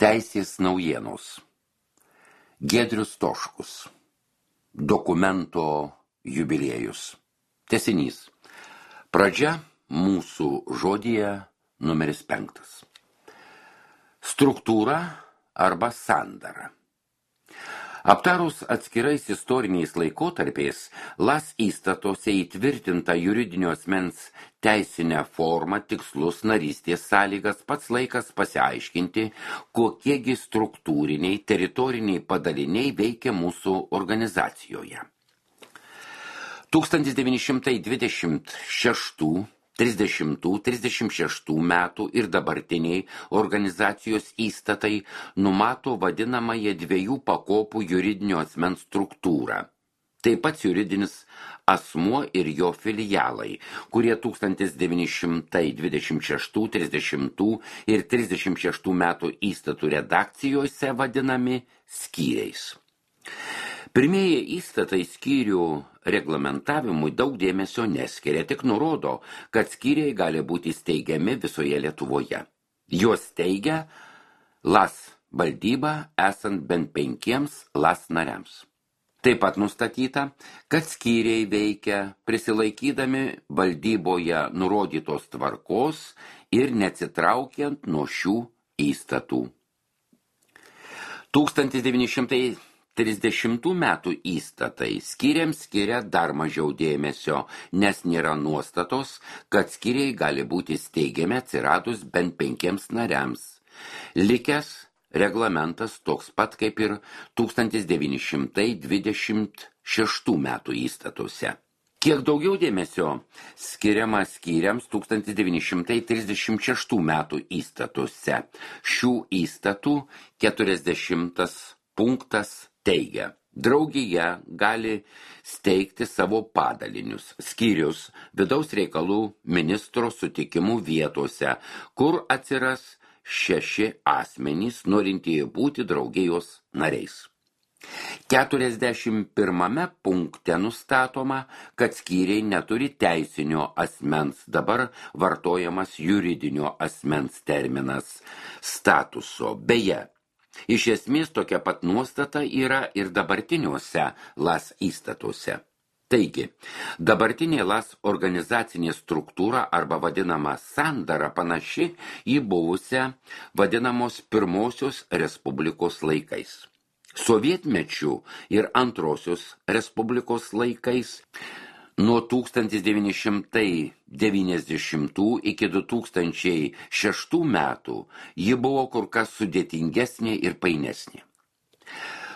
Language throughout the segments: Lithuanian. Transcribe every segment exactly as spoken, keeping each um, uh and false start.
Teisės naujienos. Giedrius Toškus. Dokumento jubiliejus. Tęsinys. Pradžia mūsų žodyje numeris penktas. Struktūra arba sandara. Aptarus atskirais istoriniais laikotarpiais, Las įstatuose įtvirtinta juridinio asmens teisinę formą, tikslus, narystės sąlygas, pats laikas pasiaiškinti, kokiegi struktūriniai, teritoriniai padaliniai veikia mūsų organizacijoje. tūkstantis devyni šimtai dvidešimt šeštų, trisdešimtų, trisdešimt šeštų metų ir dabartiniai organizacijos įstatai numato vadinamąją dviejų pakopų juridinio asmens struktūrą. Taip pat juridinis asmuo ir jo filialai, kurie tūkstantis devyni šimtai dvidešimt šeštų, trisdešimtų ir trisdešimt šeštų metų įstatų redakcijose vadinami skyriais. Pirmieji įstatai skyrių reglamentavimui daug dėmesio neskiria, tik nurodo, kad skyriai gali būti steigiami visoje Lietuvoje. Juos steigia Las valdyba esant bent penkiems Las nariams. Taip pat nustatyta, kad skyriai veikia prisilaikydami valdyboje nurodytos tvarkos ir neatsitraukiant nuo šių įstatų. tūkstantis devyni šimtai trisdešimtų metų įstatai skyriams skiria dar mažiau dėmesio, nes nėra nuostatos, kad skyriai gali būti steigiami atsiradus bent penkiems nariams. Likęs reglamentas toks pat kaip ir tūkstantis devyni šimtai dvidešimt šeštų metų įstatuose. Kiek daugiau dėmesio skiriama skyriams tūkstantis devyni šimtai trisdešimt šeštų metų įstatuose. Šių įstatų keturiasdešimtas punktas teigia, draugija gali steigti savo padalinius, skyrius vidaus reikalų ministro sutikimų vietose, kur atsiras šeši asmenys, norintieji būti draugijos nariais. keturiasdešimt pirmame punkte nustatoma, kad skyriai neturi teisinio asmens, dabar vartojamas juridinio asmens terminas, statuso. Beje, iš esmės tokia pat nuostata yra ir dabartiniuose Las įstatuose. Taigi, dabartinė Las organizacinė struktūra arba vadinama sandara panaši į buvusią vadinamos pirmosios respublikos laikais. Sovietmečių ir antrosios respublikos laikais nuo tūkstantis devyni šimtai devyniasdešimtų iki du tūkstančiai šeštų metų ji buvo kur kas sudėtingesnė ir painesnė.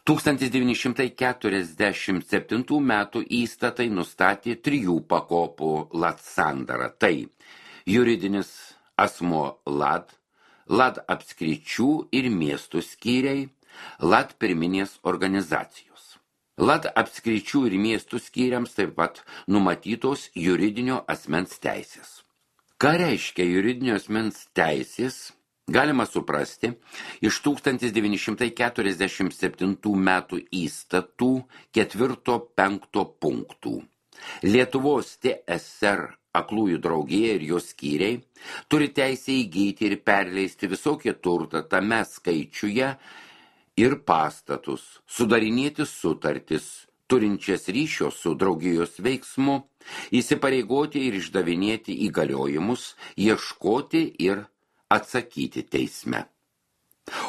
tūkstantis devyni šimtai keturiasdešimt septintų metų įstatai nustatė trijų pakopų Las sandarą. Tai juridinis asmuo Lad, Lad apskričių ir miestų skyriai, Lad pirminės organizacijos. Lad apskričių ir miestų skyriams taip pat numatytos juridinio asmens teisės. Ką reiškia juridinio asmens teisės, galima suprasti iš tūkstantis devyni šimtai keturiasdešimt septintų metų įstatų ketvirto penkto punktų. Lietuvos T S R aklųjų draugija ir jos skyriai turi teisę įgyti ir perleisti visokį turtą tame skaičiuje ir pastatus, sudarinėti sutartis, turinčias ryšio su draugijos veiksmu, įsipareigoti ir išdavinėti įgaliojimus, ieškoti ir atsakyti teisme.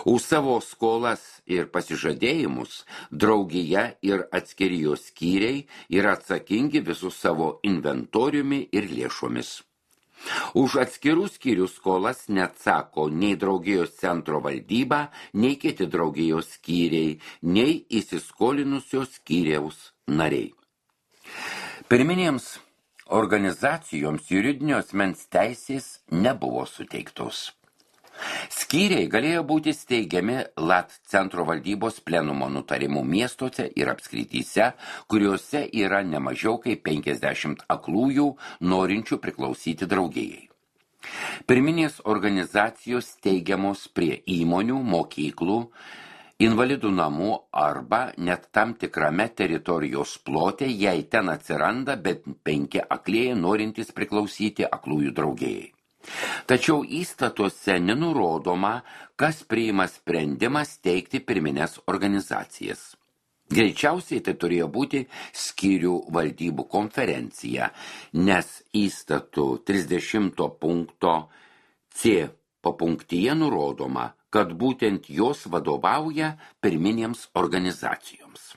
Už savo skolas ir pasižadėjimus draugija ir atskiri jos skyriai yra atsakingi visų savo inventoriumi ir lėšomis. Už atskirų skyrių skolas neatsako nei draugijos centro valdyba, nei kiti draugijos skyriai, nei įsiskolinusios skyriaus nariai. Pirminėms organizacijoms juridinio asmens teisės nebuvo suteiktos. Skyriai galėjo būti steigiami Lat centro valdybos plenumo nutarimų miestuose ir apskrityse, kuriuose yra nemažiau kaip penkiasdešimt aklųjų norinčių priklausyti draugijai. Pirminės organizacijos steigiamos prie įmonių, mokyklų, invalidų namų arba net tam tikrame teritorijos plote, jei ten atsiranda bent penki aklieji norintys priklausyti aklųjų draugijai. Tačiau įstatuose nenurodoma, kas priima sprendimą steigti pirmines organizacijas. Greičiausiai tai turėjo būti skyrių valdybų konferencija, nes įstatų trisdešimto punkto C papunktyje nurodoma, kad būtent jos vadovauja pirminėms organizacijoms.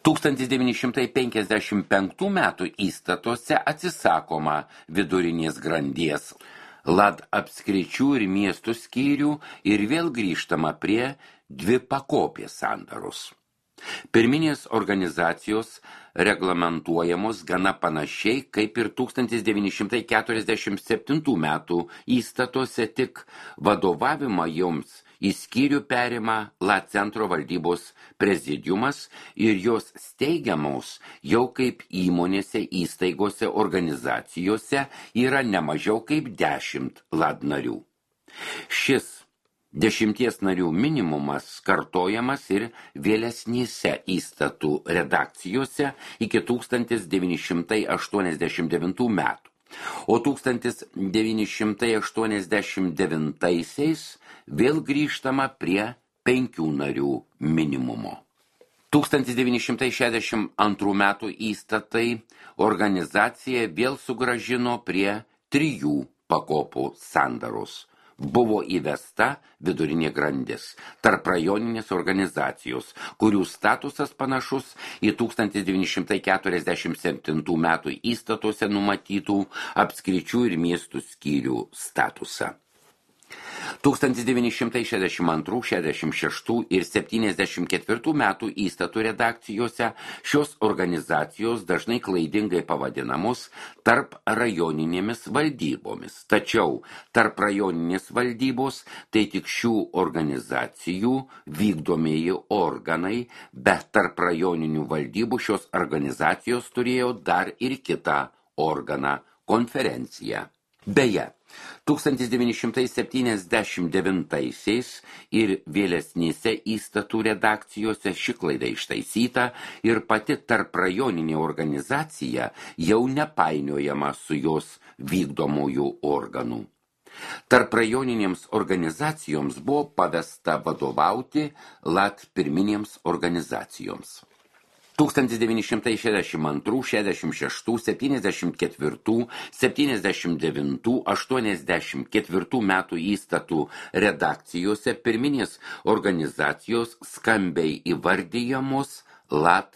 tūkstantis devyni šimtai penkiasdešimt penktų metų įstatuose atsisakoma vidurinės grandies lad apskričių ir miestų skyrių ir vėl grįžtama prie dvi pakopės sandaros. Pirminės organizacijos reglamentuojamos gana panašiai kaip ir tūkstantis devyni šimtai keturiasdešimt septintų metų įstatuose, tik vadovavimą joms į skyrių perima La Centro valdybos prezidiumas ir jos steigiamos jau kaip įmonėse, įstaigose, organizacijose yra ne mažiau kaip dešimt lad narių. Šis dešimties narių minimumas kartojamas ir vėlesnėse įstatų redakcijose iki tūkstantis devyni šimtai aštuoniasdešimt devintų metų, o tūkstantis devyni šimtai aštuoniasdešimt devintaisiais vėl grįžtama prie penkių narių minimumo. tūkstantis devyni šimtai šešiasdešimt antrų metų įstatai organizacija vėl sugrąžino prie trijų pakopų sandaros. Buvo įvesta vidurinė grandis, tarp rajoninės organizacijos, kurių statusas panašus į tūkstantis devyni šimtai keturiasdešimt septintų metų įstatuose numatytų apskričių ir miestų skyrių statusą. tūkstantis devyni šimtai šešiasdešimt antrų, šešiasdešimt šeštų ir septyniasdešimt ketvirtų metų įstatų redakcijose šios organizacijos dažnai klaidingai pavadinamos tarp rajoninėmis valdybomis. Tačiau tarp rajoninės valdybos tai tik šių organizacijų vykdomieji organai, bet tarp rajoninių valdybų šios organizacijos turėjo dar ir kitą organą – konferenciją. Beje, tūkstantis devyni šimtai septyniasdešimt devintaisiais ir vėlesnėse įstatų redakcijose ši klaida ištaisyta ir pati tarp rajoninė organizacija jau nepainiojama su jos vykdomųjų organų. Tarp rajoninėms organizacijoms buvo pavesta vadovauti lad pirminėms organizacijoms. tūkstantis devyni šimtai šešiasdešimt antrų, šešiasdešimt šeštų, septyniasdešimt ketvirtų, septyniasdešimt devintų, aštuoniasdešimt ketvirtų metų įstatų redakcijose pirminės organizacijos skambiai įvardyjamos lad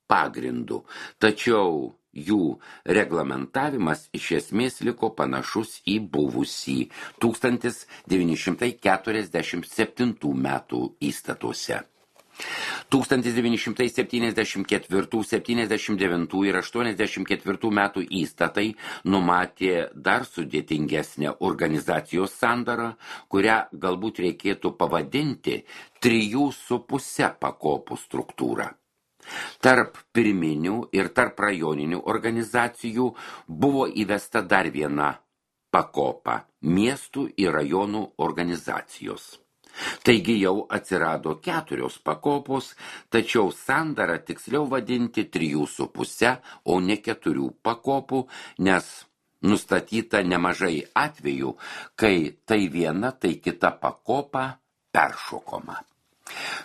pagrindu, tačiau jų reglamentavimas iš esmės liko panašus į buvusį tūkstantis devyni šimtai keturiasdešimt septintų metų įstatuose. tūkstantis devyni šimtai septyniasdešimt ketvirtų, septyniasdešimt devintų ir aštuoniasdešimt ketvirtų metų įstatai numatė dar sudėtingesnę organizacijos sandarą, kurią galbūt reikėtų pavadinti trijų su puse pakopų struktūrą. Tarp pirminių ir tarp rajoninių organizacijų buvo įvesta dar viena pakopa – miestų ir rajonų organizacijos. Taigi jau atsirado keturios pakopos, tačiau sandarą tiksliau vadinti trijų su puse, o ne keturių pakopų, nes nustatyta nemažai atvejų, kai tai viena, tai kita pakopa peršokoma.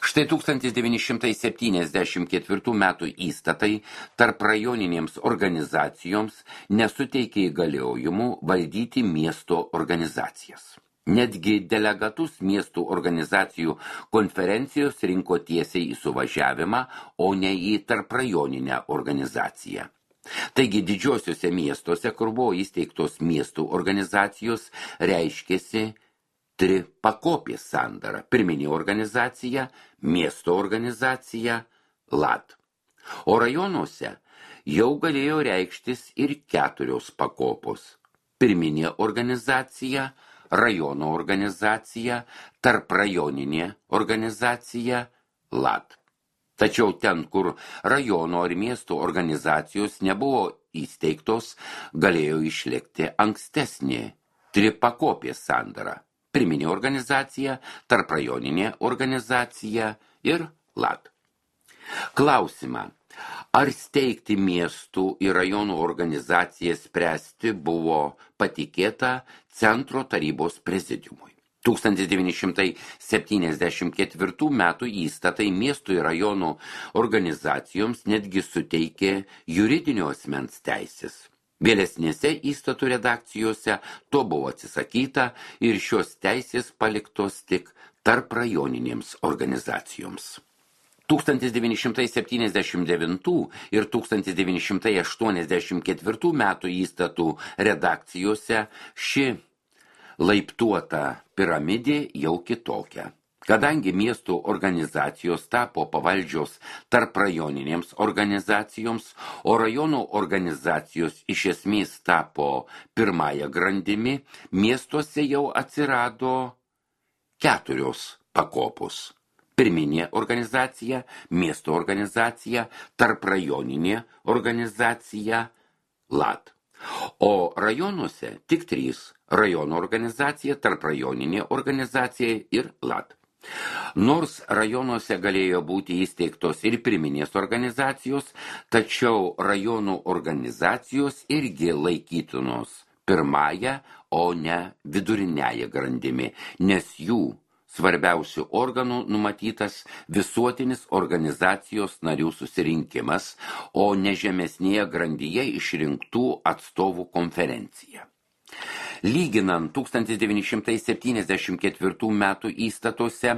Štai tūkstantis devyni šimtai septyniasdešimt ketvirtų metų įstatai tarp rajoninėms organizacijoms nesuteikė įgaliojimų valdyti miesto organizacijas. Netgi delegatus miestų organizacijų konferencijos rinko tiesiai į suvažiavimą, o ne į tarprajoninę organizaciją. Taigi didžiosiuose miestuose, kur buvo įsteigtos miestų organizacijos, reiškėsi tripakopės sandara – pirminė organizacija, miesto organizacija, lad. O rajonuose jau galėjo reikštis ir keturios pakopos – pirminė organizacija, rajono organizacija, tarprajoninė organizacija, lad. Tačiau ten, kur rajono ar miesto organizacijos nebuvo įsteigtos, galėjo išlikti ankstesnė tripakopės sandara – pirminė organizacija, tarprajoninė organizacija ir lad. Klausimą, Ar steigti miestų ir rajonų organizaciją spręsti buvo patikėta Centro tarybos prezidiumui. tūkstantis devyni šimtai septyniasdešimt ketvirtų metų įstatai miestų ir rajonų organizacijoms netgi suteikė juridinio asmens teisės. Vėlesnėse įstatų redakcijose to buvo atsisakyta ir šios teisės paliktos tik tarp rajoninėms organizacijoms. tūkstantis devyni šimtai septyniasdešimt devintų ir tūkstantis devyni šimtai aštuoniasdešimt ketvirtų metų įstatų redakcijose ši laiptuota piramidė jau kitokia. Kadangi miestų organizacijos tapo pavaldžios tarp rajoninėms organizacijoms, o rajonų organizacijos iš esmės tapo pirmąją grandimi, miestuose jau atsirado keturios pakopos. Pirminė organizacija, miesto organizacija, tarprajoninė organizacija, lat. O rajonuose tik trys – rajono organizacija, tarprajoninė organizacija ir lat. Nors rajonuose galėjo būti įsteigtos ir pirminės organizacijos, tačiau rajonų organizacijos irgi laikytinos pirmąją, o ne viduriniąją grandimi, nes jų svarbiausių organų numatytas visuotinis organizacijos narių susirinkimas, o ne žemesnėje grandyje išrinktų atstovų konferencija. Lyginant tūkstantis devyni šimtai septyniasdešimt ketvirtų metų įstatuose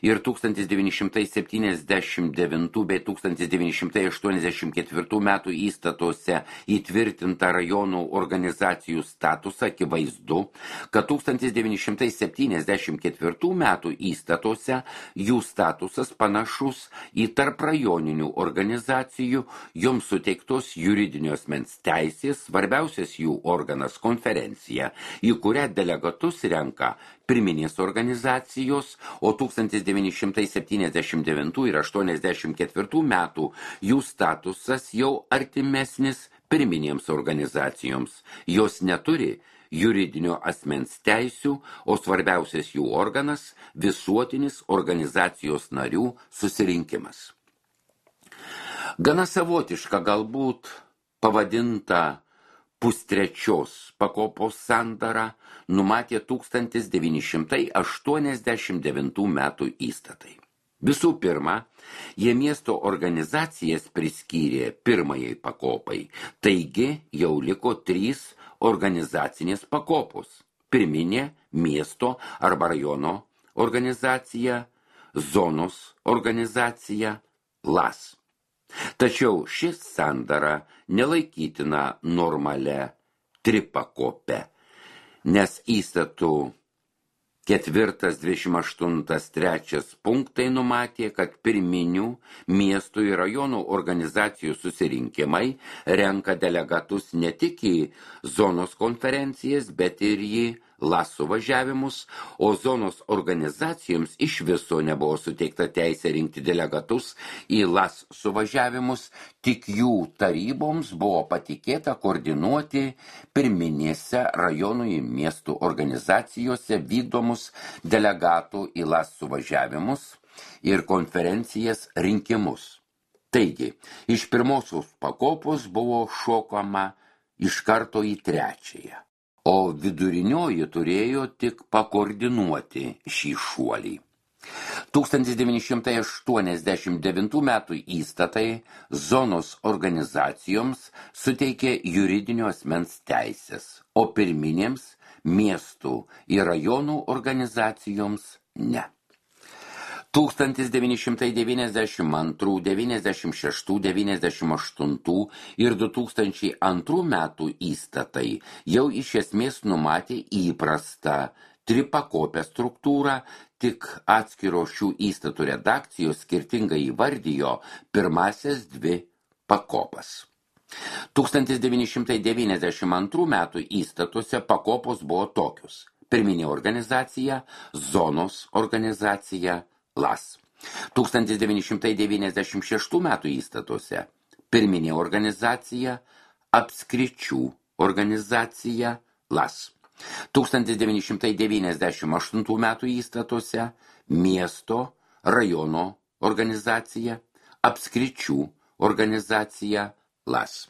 ir tūkstantis devyni šimtai septyniasdešimt devintų bei tūkstantis devyni šimtai aštuoniasdešimt ketvirtų metų įstatuose įtvirtintą rajonų organizacijų statusą, akivaizdu, kad tūkstantis devyni šimtai septyniasdešimt ketvirtų metų įstatuose jų statusas panašus į tarprajoninių organizacijų, joms suteiktos juridinio asmens teisės, svarbiausias jų organas konferencija, į kurią delegatus renka pirminės organizacijos, o tūkstantis devyni šimtai septyniasdešimt devintų ir aštuoniasdešimt ketvirtų metų jų statusas jau artimesnis pirminėms organizacijoms. Jos neturi juridinio asmens teisių, o svarbiausias jų organas – visuotinis organizacijos narių susirinkimas. Gana savotiška galbūt pavadinta pustrečios pakopos sandara numatė tūkstantis devyni šimtai aštuoniasdešimt devintų metų įstatai. Visų pirma, jie miesto organizacijas priskyrė pirmajai pakopai, taigi jau liko trys organizacinės pakopos – pirminė, miesto arba rajono organizacija, zonos organizacija, las. Tačiau šis sandara nelaikytina normalia tripakopė, nes įstatų ketvirtas, dvidešimt aštuntas, trečias punktai numatė, kad pirminių miestų ir rajonų organizacijų susirinkimai renka delegatus ne tik į zonos konferencijas, bet ir į las suvažiavimus, o zonos organizacijoms iš viso nebuvo suteikta teisė rinkti delegatus į las suvažiavimus, tik jų taryboms buvo patikėta koordinuoti pirminėse rajonų ir miestų organizacijose vykdomus delegatų į las suvažiavimus ir konferencijas rinkimus. Taigi, iš pirmosios pakopos buvo šokama iš karto į trečiąją, o vidurinioji turėjo tik pakoordinuoti šį šuolį. tūkstantis devyni šimtai aštuoniasdešimt devintų metų įstatai zonos organizacijoms suteikė juridinio asmens teisės, o pirminėms miestų ir rajonų organizacijoms ne. tūkstantis devyni šimtai devyniasdešimt antrų, devyniasdešimt šeštų, devyniasdešimt aštuntų ir du tūkstančiai antrų metų įstatai jau iš esmės numatė įprastą tripakopę struktūrą, tik atskiros šių įstatų redakcijos skirtingai įvardijo pirmasias dvi pakopas. tūkstantis devyni šimtai devyniasdešimt antrų metų įstatuose pakopos buvo tokios: pirminė organizacija, zonos organizacija, las. tūkstantis devyni šimtai devyniasdešimt šeštų metų įstatuose pirminė organizacija, apskričių organizacija, las. tūkstantis devyni šimtai devyniasdešimt aštuntų metų įstatuose miesto, rajono organizacija, apskričių organizacija LAS.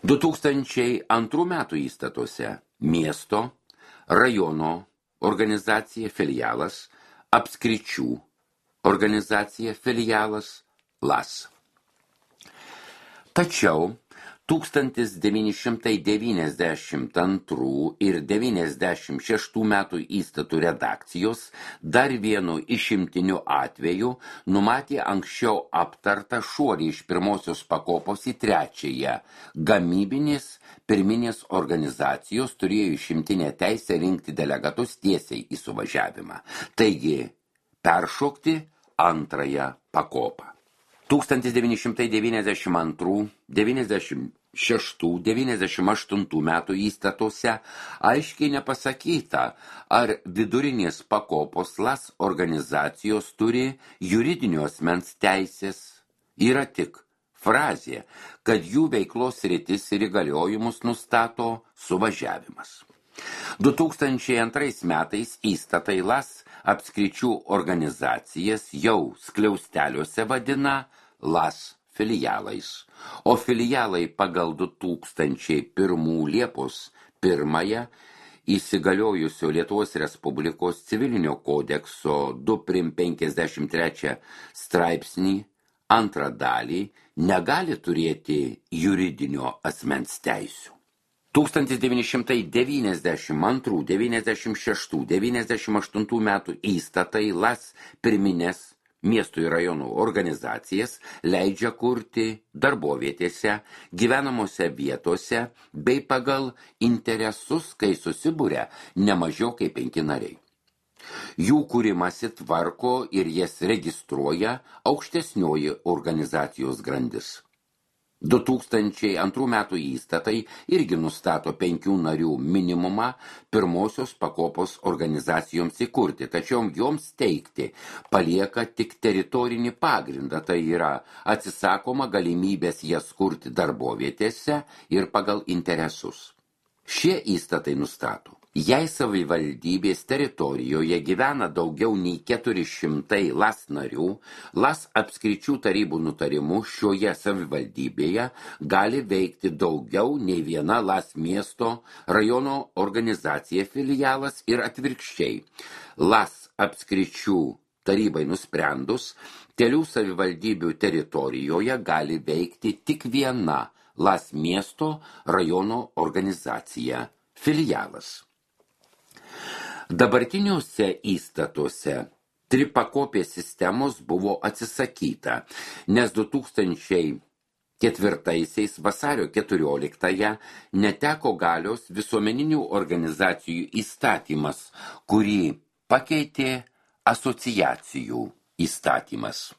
du tūkstančiai antrų metų įstatuose miesto, rajono organizacija filialas, apskričių organizacija filialas LAS. Tačiau tūkstantis devyni šimtai devyniasdešimt antrų ir devyniasdešimt šeštų metų įstatų redakcijos dar vienu išimtiniu atveju numatė anksčiau aptartą šuolį iš pirmosios pakopos į trečiąją. Gamybinės pirminės organizacijos turėjo išimtinę teisę rinkti delegatus tiesiai į suvažiavimą. Taigi, peršokti antrąją pakopą. tūkstantis devyni šimtai devyniasdešimt antrų, devyniasdešimt šeštų, devyniasdešimt aštuntų metų įstatuose aiškiai nepasakyta, ar vidurinės pakopos LAS organizacijos turi juridinio asmens teisės. Yra tik frazė, kad jų veiklos sritis ir įgaliojimus nustato suvažiavimas. du tūkstančiai antrais metais įstatai LAS apskričių organizacijas jau skliausteliuose vadina LAS filialais, o filialai pagal du tūkstančiai pirmų Liepos pirmąją įsigaliojusio Lietuvos Respublikos civilinio kodekso du prim penkiasdešimt trečią straipsnį antrą dalį negali turėti juridinio asmens teisių. tūkstantis devyni šimtai devyniasdešimt antrų, devyniasdešimt šeštų, devyniasdešimt aštuntų metų įstatai LAS pirminės miestų ir rajonų organizacijas leidžia kurti darbovietėse, gyvenamose vietose bei pagal interesus, kai susibūria ne mažiau kaip penki nariai. Jų kūrimasi tvarko ir jas registruoja aukštesnioji organizacijos grandis. du tūkstančiai antrų metų įstatai irgi nustato penkių narių minimumą pirmosios pakopos organizacijoms įkurti, tačiau joms teikti palieka tik teritorinį pagrindą, tai yra atsisakoma galimybės jas kurti darbovietėse ir pagal interesus. Šie įstatai nustato, jei savivaldybės teritorijoje gyvena daugiau nei keturi šimtai LAS narių, LAS apskričių tarybų nutarimu šioje savivaldybėje gali veikti daugiau nei viena LAS miesto rajono organizacija filialas ir atvirkščiai. LAS apskričių tarybai nusprendus, kelių savivaldybių teritorijoje gali veikti tik viena LAS miesto rajono organizacija filialas. Dabartiniuose įstatuose tripakopės sistemos buvo atsisakyta, nes du tūkstančiai ketvirtaisiais vasario keturioliktąją neteko galios visuomeninių organizacijų įstatymas, kurį pakeitė asociacijų įstatymas.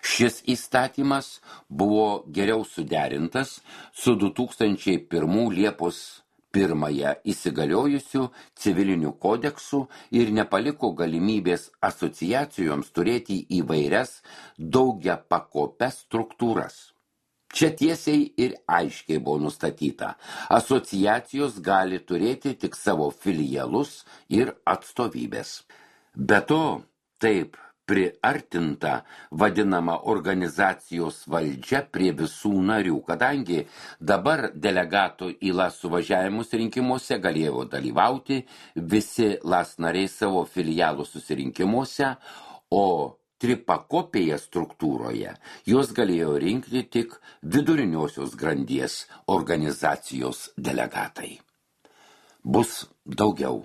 Šis įstatymas buvo geriau suderintas su du tūkstančiai pirmų Liepos pirmąją įsigaliojusių civilinių kodeksų ir nepaliko galimybės asociacijoms turėti įvairias daugiapakopes struktūras. Čia tiesiai ir aiškiai buvo nustatyta, asociacijos gali turėti tik savo filialus ir atstovybės. Be to, taip priartinta vadinama organizacijos valdžia prie visų narių, kadangi dabar delegatų į LAS suvažiavimus rinkimuose galėjo dalyvauti visi LAS nariai savo filialų susirinkimuose, o tripakopėje struktūroje jos galėjo rinkti tik viduriniosios grandies organizacijos delegatai. Bus daugiau.